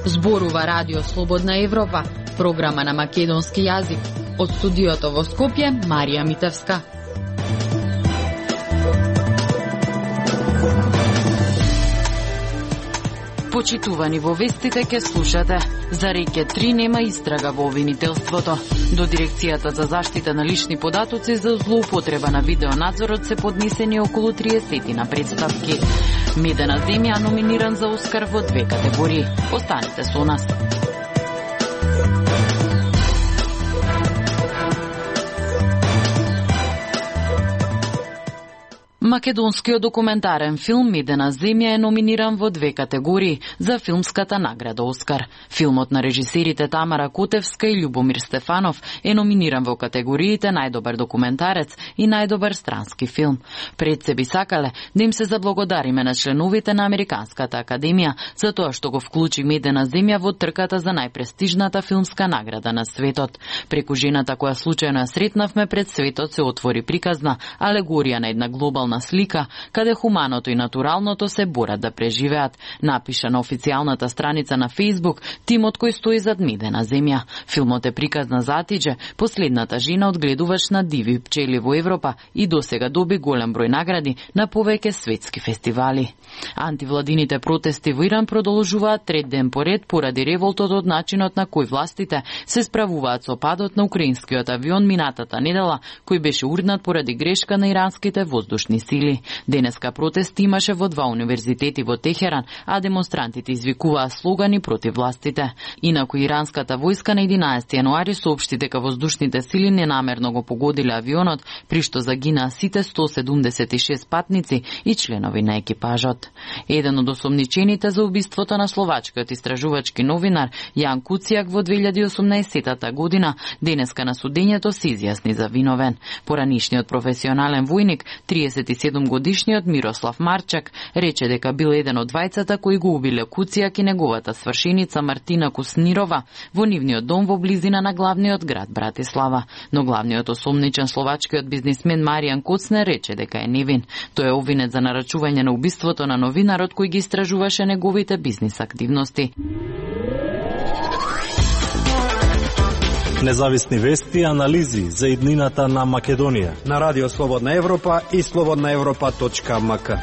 Зборува Радио Слободна Европа, програма на македонски јазик. Од студиото во Скопје, Марија Митевска. Почитувани во вестите ке слушате. За Реке 3 нема истрага во обвинителството. До Дирекцијата за заштита на лични податоци за злоупотреба на видеонадзорот се поднесени околу 30 на представки. Медена земја номиниран за Оскар во 2 категории. Останете со нас. Македонскиот документарен филм Медена земја е номиниран во 2 категории за филмската награда Оскар. Филмот на режисерите Тамара Котевска и Љубомир Стефанов е номиниран во категориите најдобар документарец и најдобар странски филм. Пред се би сакале да им се заблагодариме на членовите на Американската академија за тоа што го вклучи Медена земја во трката за најпрестижната филмска награда на светот. Преку жената која случајно ја сретнавме пред светот се отвори приказна алегорија на една глобална слика каде хуманото и натуралното се борат да преживеат, напиша на официјалната страница на Facebook тимот кој стои зад Медена земја. Филмот е приказна за Атидже, последната жена одгледувач на диви пчели во Европа и досега доби голем број награди на повеќе светски фестивали. Антивладините протести во Иран продолжуваат трет ден поред поради револтот од начинот на кој властите се справуваат со падот на украинскиот авион минатата недела, кој беше урнат поради грешка на иранските воздушни сили. Денеска протести имаше во 2 универзитети во Техеран, а демонстрантите извикуваа слогани против властите. Инаку иранската војска на 11 јануари соопшти дека воздушните сили ненамерно го погодиле авионот, при што загинаа сите 176 патници и членови на екипажот. Еден од осомничените за убиството на словачкиот истражувачки новинар Јан Куцијак во 2018 година денеска на судењето се изјасни за виновен. Поранишниот професионален војник, 37-годишниот Мирослав Марчак, рече дека бил еден од двајцата кои го убиле Куцијак и неговата свршеница Мартина Куснирова во нивниот дом во близина на главниот град Братислава. Но главниот осомничен словачкиот бизнисмен Маријан Коцнер рече дека е невин. Тој е обвинет за нарачување на убиството на новинарот кој ги истражуваше неговите бизнис активности. Независни вести и анализи за иднината на Македонија на Радио Слободна Европа и slobodnaevropa.mk.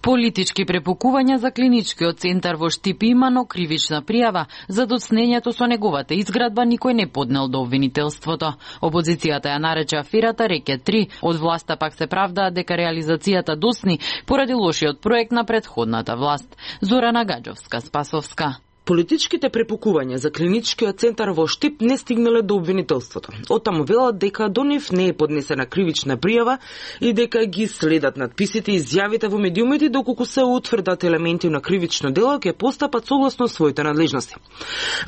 Политички препукувања за клиничкиот центар во Штип има, но кривична пријава за доцнењето со неговата изградба никој не поднел до обвинителството. Опозицијата ја нарече аферата Реке 3, од власта пак се правдаат дека реализацијата досни поради лошиот проект на претходната власт. Зорана Гаджовска-Спасовска. Политичките препукувања за клиничкиот центар во Штип не стигнале до обвинителството. Оттаму велат дека до нив не е поднесена кривична пријава и дека ги следат надписите и изјавите во медиумите доколку се утврдат елементи на кривично дело ќе постапат согласно своите надлежности.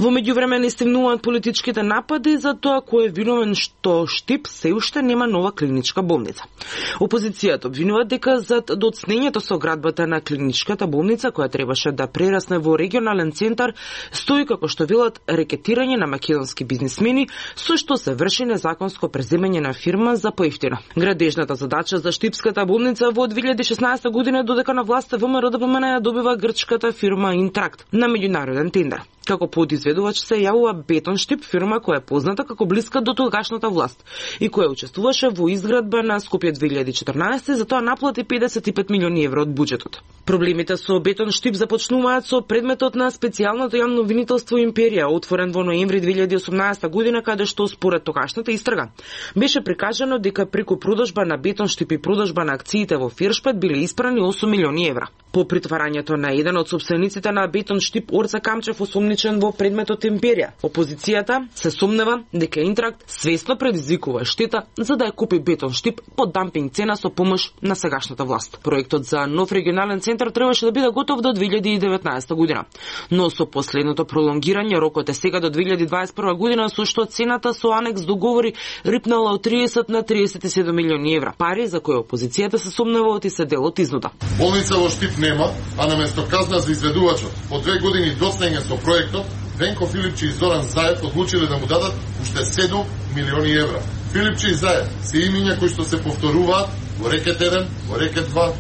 Во меѓувреме не стигнуваат политичките напади за тоа кој е виновен што Штип се уште нема нова клиничка болница. Опозицијата обвинува дека зад доцнењето со градбата на клиничката болница која требаше да прерасне во регионален центар стои, како што велат, рекетирање на македонски бизнисмени, со што се врши незаконско преземање на фирма за поевтино. Градежната задача за Штипската болница во 2016 година додека на власта ВМРО ДПМН ја добива грчката фирма Интракт на меѓународен тендер. Како подизведувач се јавува Бетон Штип, фирма која е позната како блиска до тогашната власт и која учествуваше во изградба на Скопје 2014, затоа наплати 55 милиони евро од буџетот. Проблемите со Бетон Штип започнуваат со предметот на специјалното јавно обвинителство Империја, отворен во ноември 2018 година, каде што според тогашната истрага беше прикажано дека преку продажба на Бетон Штип и продажба на акциите во Фиршпет биле испрани 8 милиони евра. По притварањето на еден од сопствениците на Бетон Штип, Орца Камчев, осомничен во предметот Империја, опозицијата се сомнева дека Интракт свесно предизвикува штета за да ја купи Бетон Штип по дампинг цена со помош на сегашната власт. Проектот за нов регионален центар требаше да биде готов до 2019 година, но со последното пролонгирање рокот е сега до 2021 година, со што цената со анекс договори рипнала од 30 на 37 милиони евра, пари за кои опозицијата се сомнева оти се дел од изнуда. Болница во Штип не нема, а наместо казна за изведувачот по 2 години доцнење со проектот, Венко Филипче и Зоран Заев одлучиле да му дадат уште 7 милиони евра. Филипче и Заев се имиња кои што се повторуваат во рекет 1, во рекет 2,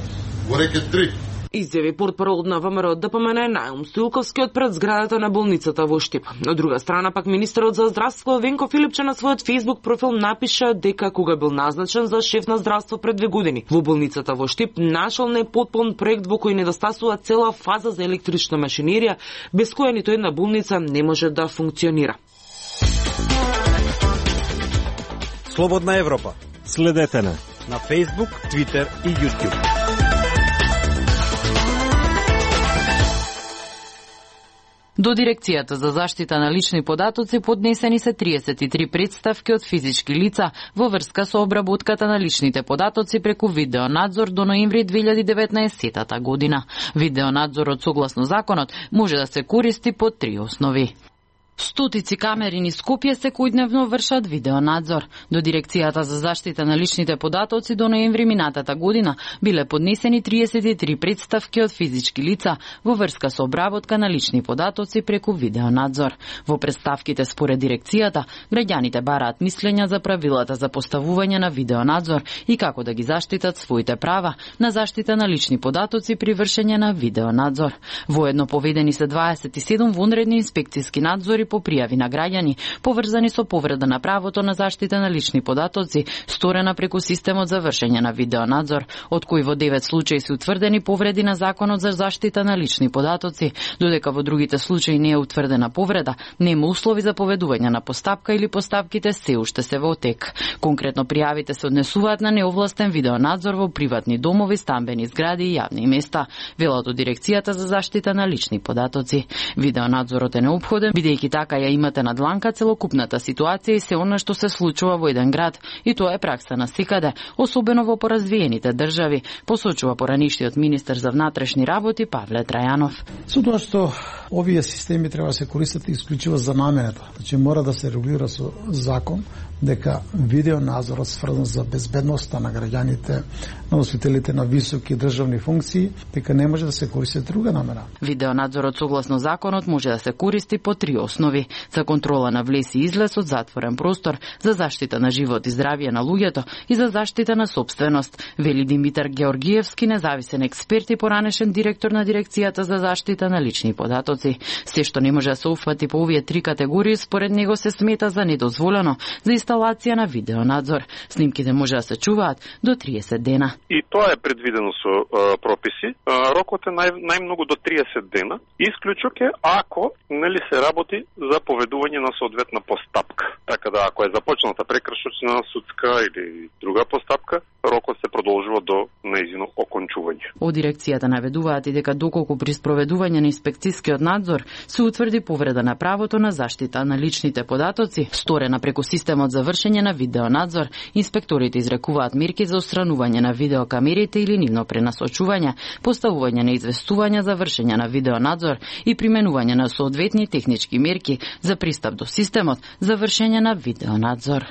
во рекет 3. Изјави портпарол на ВМРО ДПМН Наум Стоилковски од пред зградата на болницата во Штип. Од друга страна пак министерот за здравство Венко Филипче на својот Facebook профил напиша дека кога бил назначен за шеф на здравство пред 2 години во болницата во Штип нашол непотпун проект во кој недостасува цела фаза за електрична машинерија, без која ниту една болница не може да функционира. Слободна Европа. Следете на Facebook, Twitter и YouTube. До Дирекцијата за заштита на лични податоци поднесени се 33 представки од физички лица во врска со обработката на личните податоци преку видеонадзор до ноември 2019 година. Видеонадзорот согласно законот може да се користи по 3 основи. Стотици камери низ Скопје секојдневно вршат видеонадзор. До Дирекцијата за заштита на личните податоци до ноември минатата година биле поднесени 33 представки од физички лица во врска со обработка на лични податоци преку видеонадзор. Во представките според Дирекцијата, граѓаните бараат мислења за правилата за поставување на видеонадзор и како да ги заштитат своите права на заштита на лични податоци при вршење на видеонадзор. Воедно поведени се 27 вонредни инспекциски надзори по пријави на граѓани поврзани со повреда на правото на заштита на лични податоци, сторена преку системот за вршење на видеонадзор, од кои во 9 случаи се утврдени повреди на Законот за заштита на лични податоци, додека во другите случаи не е утврдена повреда, нема услови за поведување на постапка или постапките се уште се во тек. Конкретно пријавите се однесуваат на неовластен видеонадзор во приватни домови, стамбени згради и јавни места, велат од Дирекцијата за заштита на лични податоци. Видеонадзорот е неопходен, бидејќи така ја имате на дланка целокупната ситуација и се она што се случува во еден град, и тоа е пракса на секаде, особено во поразвиените држави, посочува поранишниот министер за внатрешни работи Павле Трајанов. Со тоа што овие системи треба да се користат исклучиво за намената, значи мора да се регулира со закон дека видеонадзорот сврзан за безбедноста на граѓаните, на носителите на високи државни функции, дека не може да се користи друга намера. Видеонадзорот согласно законот може да се користи по 3 основи: за контрола на влез и излез од затворен простор, за заштита на живот и здравје на луѓето и за заштита на собственост, вели Димитар Георгиевски, независен експерт и поранешен директор на Дирекцијата за заштита на лични податоци. Се што не може да се уфати по овие 3 категории, според него се смета за недозволено за инсталација на видеонадзор. Снимките може да се чуваат до 30 дена. И тоа е предвидено со прописи. Рокот е најмногу до 30 дена. Исклучок е ако нели се работи за поведување на соодветна постапка. Така да ако е започната прекршочна, судска или друга постапка, рокот се продолжува до нејзино окончување. Од Дирекцијата наведуваат и дека доколку при спроведување на инспекцискиот надзор се утврди повреда на правото на заштита на личните податоци, сторена преку системот за вршење на видеонадзор, инспекторите изрекуваат мерки за отстранување на видеокамерите или нивно пренасочување, поставување на известувања за вршење на видеонадзор и применување на соодветни технички мерки за пристап до системот за вршење на видеонадзор.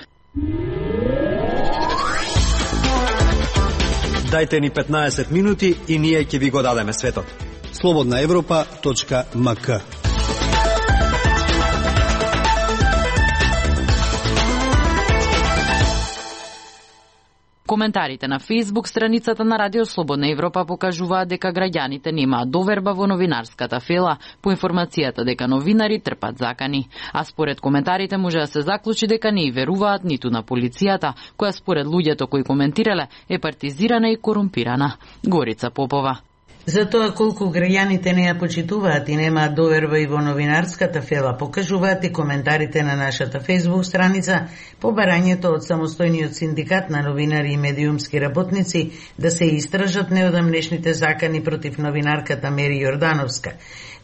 Дајте ни 15 минути и ние ќе ви го дадеме светот. slobodnaevropa.mk. Коментарите на Facebook страницата на Радио Слободна Европа покажуваат дека граѓаните немаат доверба во новинарската фела, по информацијата дека новинари трпат закани. А според коментарите може да се заклучи дека не и веруваат ниту на полицијата, која според луѓето кои коментирале е партизирана и корумпирана. Горица Попова. За тоа колку граѓаните не ја почитуваат и немаат доверба и во новинарската фела, покажуваат и коментарите на нашата Facebook страница по барањето од самостојниот синдикат на новинари и медиумски работници да се истражат неодамнешните закани против новинарката Мери Јордановска.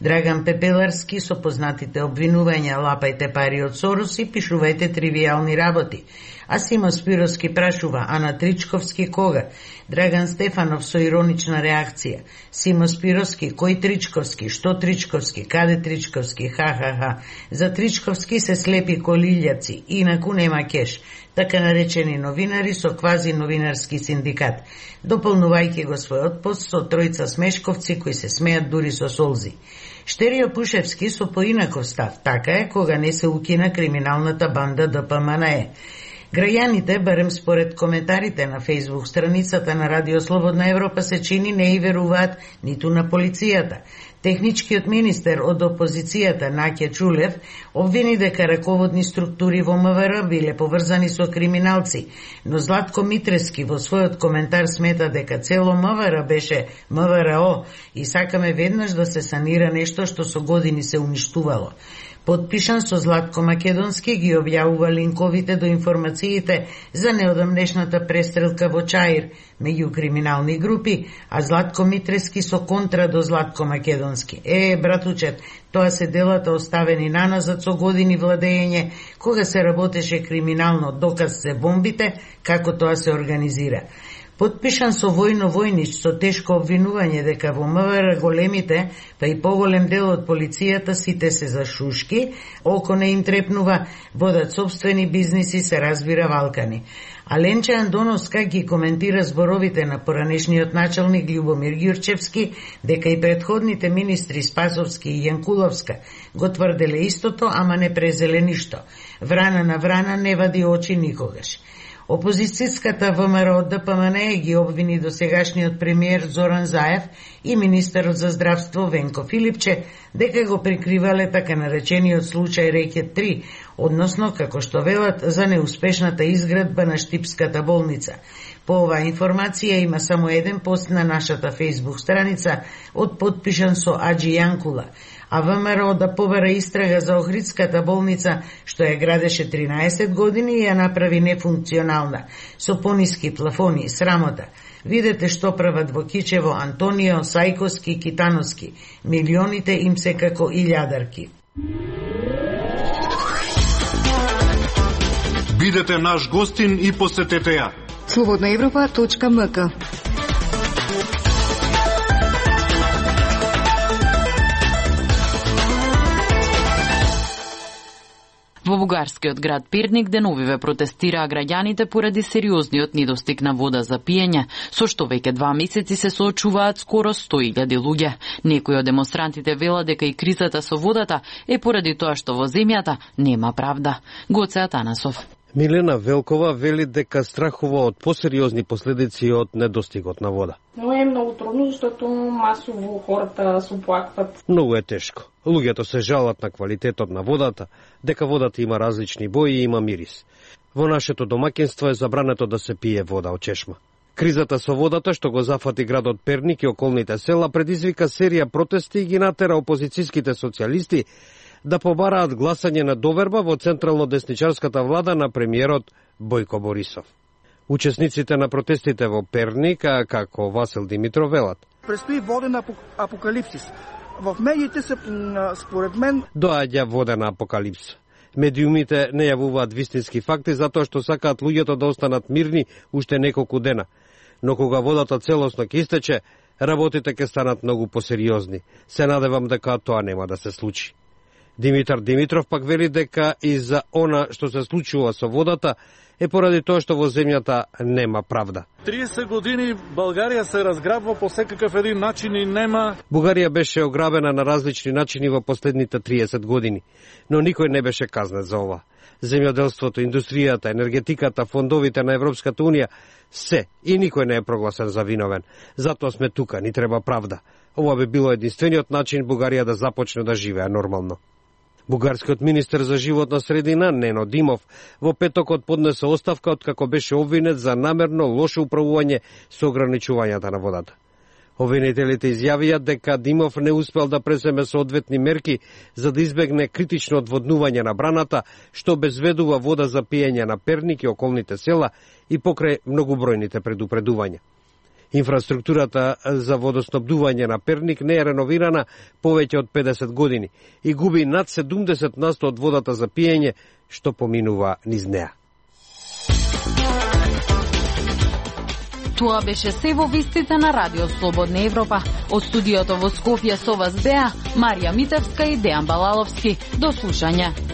Драган Пепеларски со познатите обвинувања лапајте пари од Сорос и пишувајте тривијални работи. А Симо Спировски прашува, а на Тричковски кога? Драган Стефанов со иронична реакција. Симо Спировски, кој Тричковски? Што Тричковски? Каде Тричковски? Ха. За Тричковски се слепи колилјаци, инаку нема кеш. Така наречени новинари со квази новинарски синдикат, дополнувајќи го својот пост со тројца смешковци кои се смеат дури со солзи. Штерио Пушевски со поинаков став, така е кога не се укина криминалната банда ДПМНЕ. Граѓаните, барем според коментарите на Facebook страницата на Радио Слободна Европа, се чини не и веруваат ниту на полицијата. Техничкиот министер од опозицијата Наќе Чулев обвини дека раководни структури во МВР биле поврзани со криминалци, но Златко Митрески во својот коментар смета дека цело МВР беше МВР и сакаме веднаш да се санира нешто што со години се уништувало. Подпишан со Златко Македонски ги објавува линковите до информациите за неодамнешната престрелка во Чаир меѓу криминални групи, а Златко Митрески со контра до Златко Македонски. Братучет, тоа се делата оставени наназад со години владење, кога се работеше криминално, доказ се бомбите, како тоа се организира. Подпишан со Војно Војнич со тешко обвинување дека во МВР големите, па и поголем дел од полицијата сите се за шушки, око не им трепнува, водат собствени бизниси, се разбира валкани. А Ленче Андоновска ги коментира зборовите на поранешниот началник Љубомир Ѓурчевски дека и предходните министри Спасовски и Јанкуловска го тврделе истото, ама не презеле ништо. Врана на врана не вади очи никогаш. Опозицијската ВМРО од ДПМНЕ ги обвини досегашниот премиер Зоран Заев и министерот за здравство Венко Филипче дека го прикривале така наречениот случај Рекет 3, односно, како што велат, за неуспешната изградба на Штипската болница. По оваа информација има само еден пост на нашата Facebook страница од подпишан со Аџи Јанкула, а ВМРО да побара истрага за Охридската болница, што ја градеше 13 години и ја направи нефункционална, со пониски плафони, срамота. Видете што прават во Кичево Антонио, Сајковски, Китановски. Милионите им се како илјадарки. Бидете наш гостин и посетете ја. slobodnaevropa.mk. Во бугарскиот град Перник деновиве протестираа граѓаните поради сериозниот недостиг на вода за пиење, со што веќе 2 месеци се соочуваат скоро 100.000 луѓе. Некои од демонстрантите велат дека и кризата со водата е поради тоа што во земјата нема правда. Гоце Атанасов. Милена Велкова вели дека страхува од посериозни последици од недостигот на вода. Но е многу трудно, защото масово хората се оплакват. Многу е тешко. Луѓето се жалат на квалитетот на водата, дека водата има различни бои и има мирис. Во нашето домаќинство е забрането да се пие вода од чешма. Кризата со водата што го зафати градот Перник и околните села предизвика серија протести и ги натера опозицијските социјалисти да побараат гласање на доверба во централно-десничарската влада на премиерот Бојко Борисов. Учесниците на протестите во Перник, како Васил Димитров, велат: Престои воден апокалипсис. В медиите се, според мен, доаѓа воден апокалипс. Медиумите не јавуваат вистински факти затоа што сакаат луѓето да останат мирни уште неколку дена. Но кога водата целосно ќе истече, работите ќе станат многу посериозни. Се надевам дека тоа нема да се случи. Димитар Димитров пак вели дека и за она што се случува со водата е поради тоа што во земјата нема правда. 30 години Българија се разграбва по секаков еден начин и нема... Бугарија беше ограбена на различни начини во последните 30 години, но никој не беше казнет за ова. Земјоделството, индустријата, енергетиката, фондовите на Европската Унија, се и никој не е прогласен за виновен. Затоа сме тука, ни треба правда. Ова би било единствениот начин Бугарија да започне да живее нормално. Бугарскиот министер за животна средина Нено Димов во петокот поднесе оставка откако беше обвинет за намерно лошо управување со ограничувањата на водата. Обвинителите изјавија дека Димов не успел да преземе соодветни мерки за да избегне критично одводнување на браната, што обезведува вода за пиење на Перник и околните села и покрај многубројните предупредувања. Инфраструктурата за водоснабдување на Перник не е реновирана повеќе од 50 години и губи над 70% од водата за пиење што поминува низ неа. Тоа беше се во вестите на Радио Слободна Европа. Од студиото во Скопје со вас беа Марија Митевска и Дејан Балаловски. До слушање.